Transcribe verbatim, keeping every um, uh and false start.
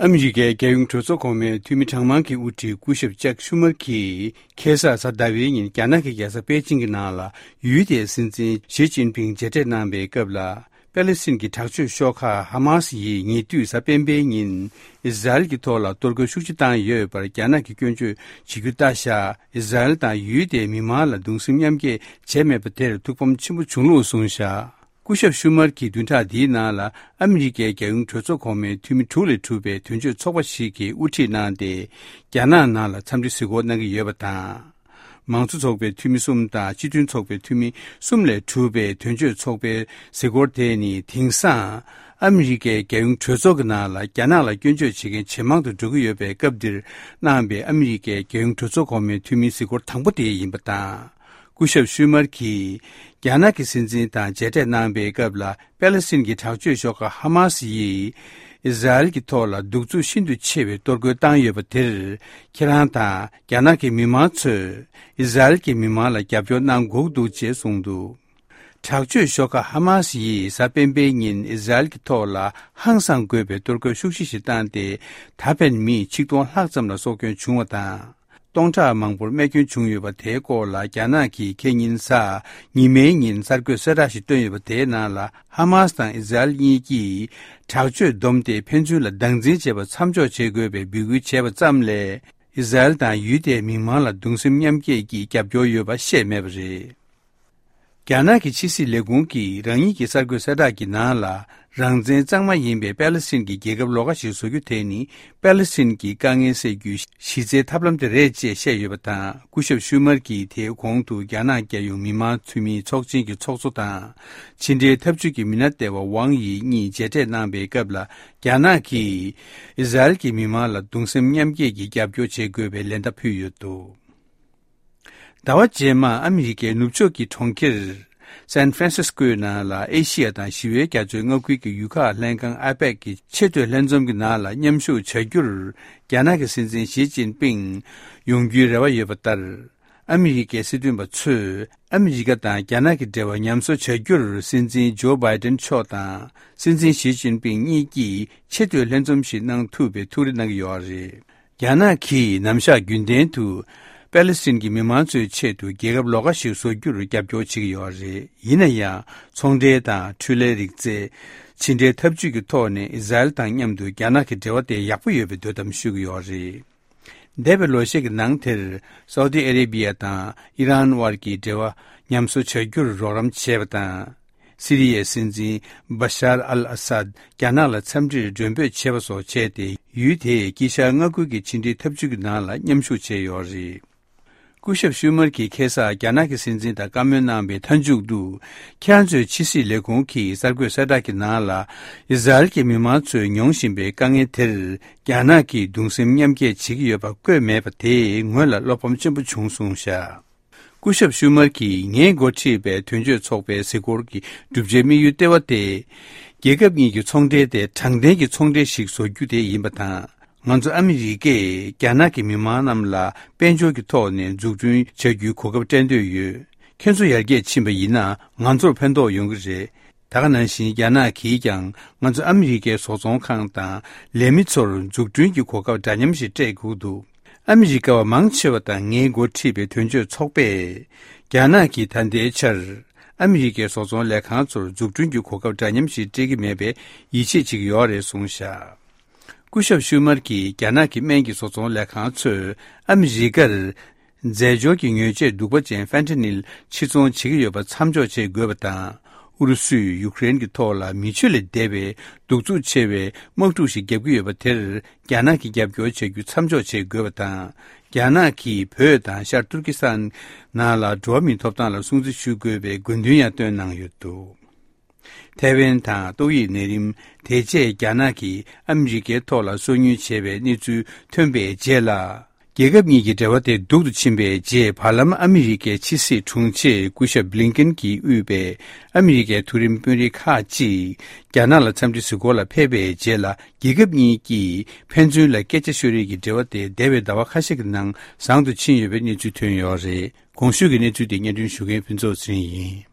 ཨ་མི་རི་ཀའི་རྒྱལ་ཡོངས་གྲོས་ཚོགས་གོང་མའི་འཐུས་མི་གྲངས་མང་གི་དབུ་ཁྲིད་སྐུ་ཞབས་ཅག་ཤུ་མར་གྱིས་ཁ་སང་གཟའ་ཟླ་བའི་ཉིན་རྒྱ་ནག་གི་རྒྱལ་ས་པེ་ཅིང་གི་ནང་ལ་ཡུལ་དེའི་སྲིད་འཛིན་ཞི་ཅིན་ཕིང་མཇལ་འཕྲད་གནང་བའི་སྐབས་ལ། པེ་ལེ་སི་ཐན་གྱི་དྲག་སྤྱོད་ཤོག་ཁག་ཧ་མ་སི་ཡིས་ཉེ་དུས་གཟའ་སྤེན་པའི་ཉིན་ཨི་ཟ་རེལ་གྱི་ཐོག་ལ་གཏོར་རྒོལ་ཤུགས་ཆེ་བཏང་ཡོད་པར་རྒྱ་ནག་གིས་སྐྱོན་བརྗོད་བྱེད་རྒྱུ་ལྟ་བཞག་ཨི་ཟ་རེལ་དང་ཡུལ་དེའི་མི་མང་ལ་གདུང་སེམས་མཉམ་སྐྱེད་བྱས་མེད་པ་དེར་ཐུགས་ཕམ་ཆེན་པོ་བྱུང་ལུགས་གསུངས་བཞག་སྐུ་ཞབས་ཤུ་མར་གྱིས་བདུན་ཕྲག་འདིའི་ནང་ལ་ཨ་མི་རི་ཀའི་རྒྱལ་ཡོངས་གྲོས་ཚོགས་གོང་མའི་འཐུས་མི་དྲུག་ལས་གྲུབ་པའི་དོན་གཅོད་ཚོགས་པ་ཞིག་གིས་དབུ་ཁྲིད་གནང་སྟེ། རྒྱ་ནག་ནང་ལ་འཚམས་འདྲི་གཟིགས་སྐོར་གནང་གི་ཡོད་པ་དང་། མང་གཙོ་ཚོགས་པའི་འཐུས་མི་གསུམ་དང་སྤྱི་མཐུན་ཚོགས་པའི་འཐུས་མི་གསུམ་ལས་གྲུབ་པའི་དོན་གཅོད་ཚོགས་པའི་གཟིགས་སྐོར་དེ་ནི་དེང་སང་ཨ་མི་རི་ཀའི་རྒྱལ་ཡོངས་གྲོས་ཚོགས་ཀྱི་ནང་ལ་རྒྱ་ནག་ལ་སྐྱོན་བརྗོད་བྱེད་མཁན་ཇེ་མང་དུ་འགྲོ་གི་ཡོད་པའི་སྐབས་འདིར་གནང་པའི་ཨ་མི་རི་ཀའི་རྒྱལ་ཡོངས་གྲོས་ཚོགས་གོང་མའི་འཐུས་མིའི་གཟིགས་སྐོར་དང་པོ་དེ་ཡིན་པ་དང་། སྐུ་ཞབས་ཤུ་མར་གྱིས་རྒྱ་ནག་གི་སྲིད་འཛིན་དང་མཇལ་འཕྲད་གནང་པའི་སྐབས་ལ། པེ་ལེ་སི་ཐན་གྱི་དྲག་སྤྱོད་ཤོག་ཁག་ཧ་མ་སི་ཡིས་ཨི་ཟ་རེལ་གྱི་ཐོག་ལ་གདུག་རྩུབ་ཤིན་ཏུ་ཆེ་བའི་གཏོར་རྒོལ་བཏང་ཡོད་པ་དེར། ཁྱེད་རང་དང་རྒྱ་ནག་གི་མི་མང་ཚོས་ཨི་ཟ་རེལ་གྱི་མི་མང་ལ་རྒྱབ་སྐྱོར་གནང་དགོས་འདུག་ཅེས་གསུངས་འདུག་དྲག་སྤྱོད་ཤོག་ཁག་ཧ་མ་སི་ཡིས་གཟའ་སྤེན་པའི་ཉིན་ཨི་ཟ་རེལ་གྱི་ཐོག་ལ་ཧང་སང་དགོས་པའི་གཏོར་རྒོལ་ཤུགས་ཆེ་ཞིག་བཏང་སྟེ། ད་ཕན་མི་ཆིག་སྟོང་ལྷག་ཙམ་ལ་སྲོག་སྐྱོན་བྱུང་བ་དང་། སྟོང་ཕྲག་མང་པོར་རྨས་སྐྱོན་བྱུང་ཡོད་པ་དེའི་སྐོར་ལ་རྒྱ་ནག་གིས་ཁ་ཉིན་གཟའ་ཉི་མའི་ཉིན་གསར་འགོད་གསལ་བསྒྲགས་ཤིག་བཏོན་ཡོད་པ་དེའི་ནང་ལ། ཧ་མ་སི་དང་ཨི་ཟ་རེལ་གཉིས་ཀྱིས་དྲག་སྤྱོད་བསྡོམས་ཏེ་ཕན་ཚུན་ལ་སྡང་འཛིན་བྱེད་པ་མཚམས་འཇོག་བྱེད་དགོས་པའི་འབོད་སྐུལ་བྱས་པ་ཙམ་ལས། ཨི་ཟ་རེལ་དང་ཡུལ་དེའི་མི་མང་ལ་གདུང་སེམས་མཉམ་སྐྱེད་ཀྱི་རྒྱབ་སྐྱོར་ཡོད་པ་བཤད་མེད་པ་རེད། རྒྱ་ནག་གི་ཕྱི་སྲིད་ལས་ཁུངས་ཀྱིས་རང་ཉིད་ཀྱི་གསར་འགོད་གསལ་བསྒྲགས་ཀྱི་ནང་ལ། རང་བཙན་གཙང་མ་ཡིན་པའི་པེ་ལེ་སི་ཐན་གྱི་རྒྱལ་ཁབ་ལོགས་ཀ་ཞིག་བཟོ་རྒྱུ་དེ་ནི། པེ་ལེ་སི་ཐན་གྱི་དཀའ་ངལ་སེལ་རྒྱུའི་གཞི་རྩའི་ཐབས་ལམ་དེ་རེད་ཅེས་བཤད་ཡོད་པ་དང་། སྐུ་ཞབས་ཤུ་མར་གྱིས་དེའི་གོང་དུ་རྒྱ་ནག་རྒྱལ་ཡོངས་མི་མང་འཐུས་མིའི་ཚོགས་ཆེན་གྱི་ཚོགས་གཙོ་དང་། ཕྱི་འབྲེལ་འཐབ་ཇུས་ཀྱི་མི་སྣ་ལྟེ་བ་ཝང་ཡི་གཉིས་མཇལ་འཕྲད་གནང་པའི་སྐབས་ལ། རྒྱ་ནག་གིས་ཨི་ཟ་རེལ་གྱི་མི་མང་ལ་གདུང་སེམས་མཉམ་སྐྱེད་ཀྱི་རྒྱབ་སྐྱོར་བྱེད་དགོས་པའི་ལན་བརྡ་ཕུལ་ཡོད་འདུག་ཟླ་བ་རྗེས་མ་ཨ་མི་རི་ཀའི་ནུབ་ཕྱོགས་ཀྱི་གྲོང་ཁྱེར་སན་ཧྥ་རན་སིས་ཀོའི་ནང་ལ་ཨེ་ཤི་ཡ་དང་ཞི་བའི་རྒྱ་མཚོའི་མངའ་ཁུལ་གྱི་ཡུལ་ཁག་ལྷན་ཁང་ཨ་པེག་གི་ཆེས་མཐོའི་ལྷན་འཛོམས་ཀྱི་ནང་ལ་མཉམ་ཞུགས་བྱ་རྒྱུར་རྒྱ་ནག་གི་སྲིད་འཛིན་ཞི་ཅིན་ཕིང་ཡོང་རྒྱུའི་རེ་བ་ཡོད་པ་ལྟར། ཨ་མི་རི་ཀའི་སྲིད་དོན་པ་ཚོས་ཨ་མི་རི་ཀ་དང་རྒྱ་ནག་གི་འབྲེལ་བ་ཉམས་གསོ་བྱ་རྒྱུར་སྲིད་འཛིན་ཇོ་བྷའི་ཏན་མཆོག་དང་སྲིད་འཛིན་ཞི་ཅིན་ཕིང་གཉིས་ཀྱིས་ཆེས་མཐོའི་ལྷན་འཛོམས་ཤིག་གནང་ཐུབ་པའི་ཐུགས་རེ་གནང་གི་ཡོད་རེད། རྒྱ་ནག་གིས་ནམ་ཞག་རྒྱུན་ལྡན་དུ་པེ་ལེ་སི་ཐན་གྱི་མི་མང་ཚོའི་ཆེད་དུ་རྒྱལ་ཁབ་ལོགས་ཀ་ཞིག་བཟོ་རྒྱུར་རྒྱབ་སྐྱོར་བྱེད་ཀྱི་ཡོད་རེད། ཡིན་ན་ཡང་། ཚོང་འབྲེལ་དང་འཕྲུལ་ལས་རིག་རྩལ། ཕྱི་འབྲེལ་འཐབ་ཇུས་ཀྱི་ཐོག་ནས་ཨི་ཟ་རེལ་དང་མཉམ་དུ་རྒྱ་ནག་གི་འབྲེལ་བ་དེ་ཡག་པོ་ཡོད་པའི་འདོད་གཏམ་ཤོད་ཀྱི་ཡོད་རེད། འདས་པའི་ལོ་ཤས་ཀྱི་ནང་དེར། སའུ་ཏི་ཨ་རེ་བྷི་ཡ་དང་ཨི་རན་དབར་གྱི་འབྲེལ་བ་ཉམས་གསོ་བྱ་རྒྱུར་རོགས་རམ་བྱས་པ་དང་། སི་རི་ཡའི་སྲིད་འཛིན་བ་ཤར་ཨལ་ཨ་སཱད་རྒྱ་ནག་ལ་འཚམས་འདྲིར་མགྲོན་འབོད་བྱས་པ་སོགས་བྱས་ཏེ། ཡུལ་དེའི་དཀྱིལ་ཤར་མངའ་ཁུལ་གྱི་ཕྱི་འབྲེལ་འཐབ་ཇུས་ཀྱི་ནང་ལ་མཉམ་ཞུགས་བྱས་ཡོད་རེད། སྐུ་ཞབས་ཤུ་མར་གྱིས་ཁ་སང་རྒྱ་ནག་གི་སྲིད་འཛིན་དང་བཀའ་མོལ་གནང་བའི་མཐའ་མཇུག་ཏུ། ཁྱེད་རང་ཚོའི་ཕྱི་སྲིད་ལས་ཁུངས་ཀྱི་གསར་འགོད་གསལ་བསྒྲགས་ཀྱི་ནང་ལ། ཨི་ཟ་རེལ་གྱི་མི་མང་ཚོས་མྱོང་བཞིན་པའི་དཀའ་ངལ་དེར། རྒྱ་ནག་གིས་གདུང་སེམས་མཉམ་སྐྱེད་བྱེད་ཀྱི་ཡོད་པ་བཀོད་མེད་པ་དེས་ངོས་ལ་བློ་ཕམ་ཆེན་པོ་བྱུང་གསུངས་བཞག་སྐུ་ཞབས་ཤུ་མར་གྱིས་ངས་འགོ་ཁྲིད་པའི་དོན་གཅོད་ཚོགས་པའི་གཟིགས་སྐོར་གྱི་བསྒྲུབ་བྱའི་དམིགས་ཡུལ་ལྟེ་བ་དེ། རྒྱལ་ཁབ་གཉིས་ཀྱི་ཚོང་འབྲེལ་དེ་དྲང་བདེན་གྱི་ཚོང་འབྲེལ་ཞིག་བཟོ་རྒྱུ་དེ་ཡིན་པ་དང་། ང་ཚོ་ཨ་མི་རི་ཀས་རྒྱ་ནག་གི་མི་མང་རྣམས་ལ་དཔལ་འབྱོར་གྱི་ཐོག་ནས་འཛུགས་སྐྲུན་བྱ་རྒྱུའི་གོ་སྐབས་སྤྲད་འདོད་ཡོད། ཁྱེད་ཚོ་ཡར་རྒྱས་ཕྱིན་པ་ཡིན་ན་ང་ཚོར་ཕན་ཐོགས་ཡོང་གི་རེད། ད་ག་ནང་བཞིན་རྒྱ་ནག་གིས་ཀྱང་ང་ཚོ་ཨ་མི་རི་ཀའི་བཟོ་ཚོང་ཁང་དང་ལས་མི་ཚོར་འཛུགས་སྐྲུན་གྱི་གོ་སྐབས་འདྲ་མཉམ་ཞིག་སྤྲད་དགོས་འདུག་ཨ་མི་རི་ཀ་བ་མང་ཆེ་བ་དང་ངས་འགོ་ཁྲིད་པའི་དོན་གཅོད་ཚོགས་པས། རྒྱ་ནག་གིས་ད་ལྟའི་ཆར་ཨ་མི་རི་ཀའི་བཟོ་ཚོང་ལས་ཁང་ཚོར་འཛུགས་སྐྲུན་གྱི་གོ་སྐབས་འདྲ་མཉམ་ཞིག་སྤྲད་ཀྱི་མེད་པའི་ཡིད་ཆེས་བྱེད་ཀྱི་ཡོད་རེད་གསུངས་བཞག་སྐུ་ཞབས་ཤུ་མར་གྱིས་རྒྱ་ནག་གི་སྨན་གྱི་བཟོ་ཚོང་ལས་ཁང་ཚོས་ཨ་མི་རི་ཀར། རྫས་སྦྱོར་གྱི་ཉོས་ཆས་གདུག་པ་ཅན་ཧྥེན་ཐ་ནིལ་ཕྱིར་ཚོང་བྱེད་ཀྱི་ཡོད་པ་མཚམས་འཇོག་བྱེད་དགོས་པ་དང་། ཨུ་རུ་སུས་ཡུ་ཀེ་རེན་གྱི་ཐོག་ལ་མི་ཆོས་ལས་འདས་པའི་གདུག་རྩུབ་ཆེ་བའི་དམག་འཁྲུག་ཞིག་བརྒྱབ་ཀྱི་ཡོད་པ་དེར་རྒྱ་ནག་གིས་རྒྱབ་སྐྱོར་བྱ་རྒྱུ་མཚམས་འཇོག་བྱེད་དགོས་པ་དང་། རྒྱ་ནག་གིས་བོད་དང་ཤར་ཏུར་ཀི་སི་ཐན་ནང་ལ་འགྲོ་བ་མིའི་ཐོབ་ཐང་ལ་སྲུང་བརྩི་ཞུ་དགོས་པའི་དགོས་འདུན་ཡང་བཏོན་གནང་ཡོད་འདུག་ཐའེ་ཝན་དང་ཏོག་དབྱིབས་ནད་རིམས་དེ་རྗེས་རྒྱ་ནག་གིས་ཨ་མི་རི་ཀའི་ཐོག་ལ་སོ་ཉུལ་བྱས་པའི་གནས་ཚུལ་ཐོན་པའི་རྗེས་ལ། རྒྱལ་ཁབ་གཉིས་ཀྱི་འབྲེལ་བ་དེ་སྡུག་ཏུ་ཕྱིན་པའི་རྗེས། བར་ལམ་ཨ་མི་རི་ཀའི་ཕྱི་སྲིད་དྲུང་ཆེ་སྐུ་ཞབས་བྷི་ལིན་ཀེན་གྱིས་དབུས་པའི་ཨ་མི་རི་ཀའི་མཐོ་རིམ་དཔོན་རིགས་ཁག་ཅིག་རྒྱ་ནག་ལ་འཚམས་འདྲི་གཟིགས་སྐོར་ལ་ཕེབས་པའི་རྗེས་ལ། རྒྱལ་ཁབ་གཉིས་ཀྱིས་ཕན་ཚུན་ལ་སྐད་ཆ་ཤོད་རེས་ཀྱི་འབྲེལ་བ་དེ་འདས་པའི་ཟླ་བ་ཁ་ཤས་ཀྱི་ནང་བཟང་དུ་ཕྱིན་ཡོད་པའི་གནས་ཚུལ་ཐོན་ཡོད་རེད། གོང་ཞུས་ཀྱི་གནས་ཚུལ་དེ་སྙན་སྒྲོན་ཞུ་མཁན་ཕུན་ཚོགས་ཚེ་རིང་ཡིན།